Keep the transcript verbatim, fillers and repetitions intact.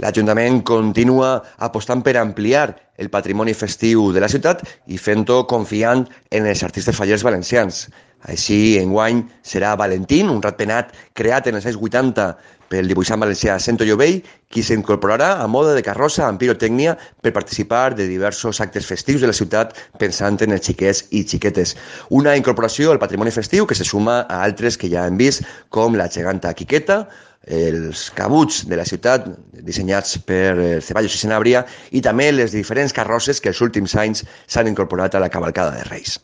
L'Ajuntament continua apostant per ampliar el patrimoni festiu de la ciutat i fent-ho confiant en els artistes fallers valencians. Així, enguany serà Valentín, un ratpenat creat en els anys vuitanta pel dibuixant valencià Cento Llovell, qui s'incorporarà a mode de carrossa amb pirotècnia per participar de diversos actes festius de la ciutat pensant en els xiquets i xiquetes. Una incorporació al patrimoni festiu que se suma a altres que ja hem vist, com la geganta Quiqueta, els cabuts de la ciutat dissenyats per Ceballos i Sanabria i també les diferents carrosses que els últims anys s'han incorporat a la cavalcada de Reis.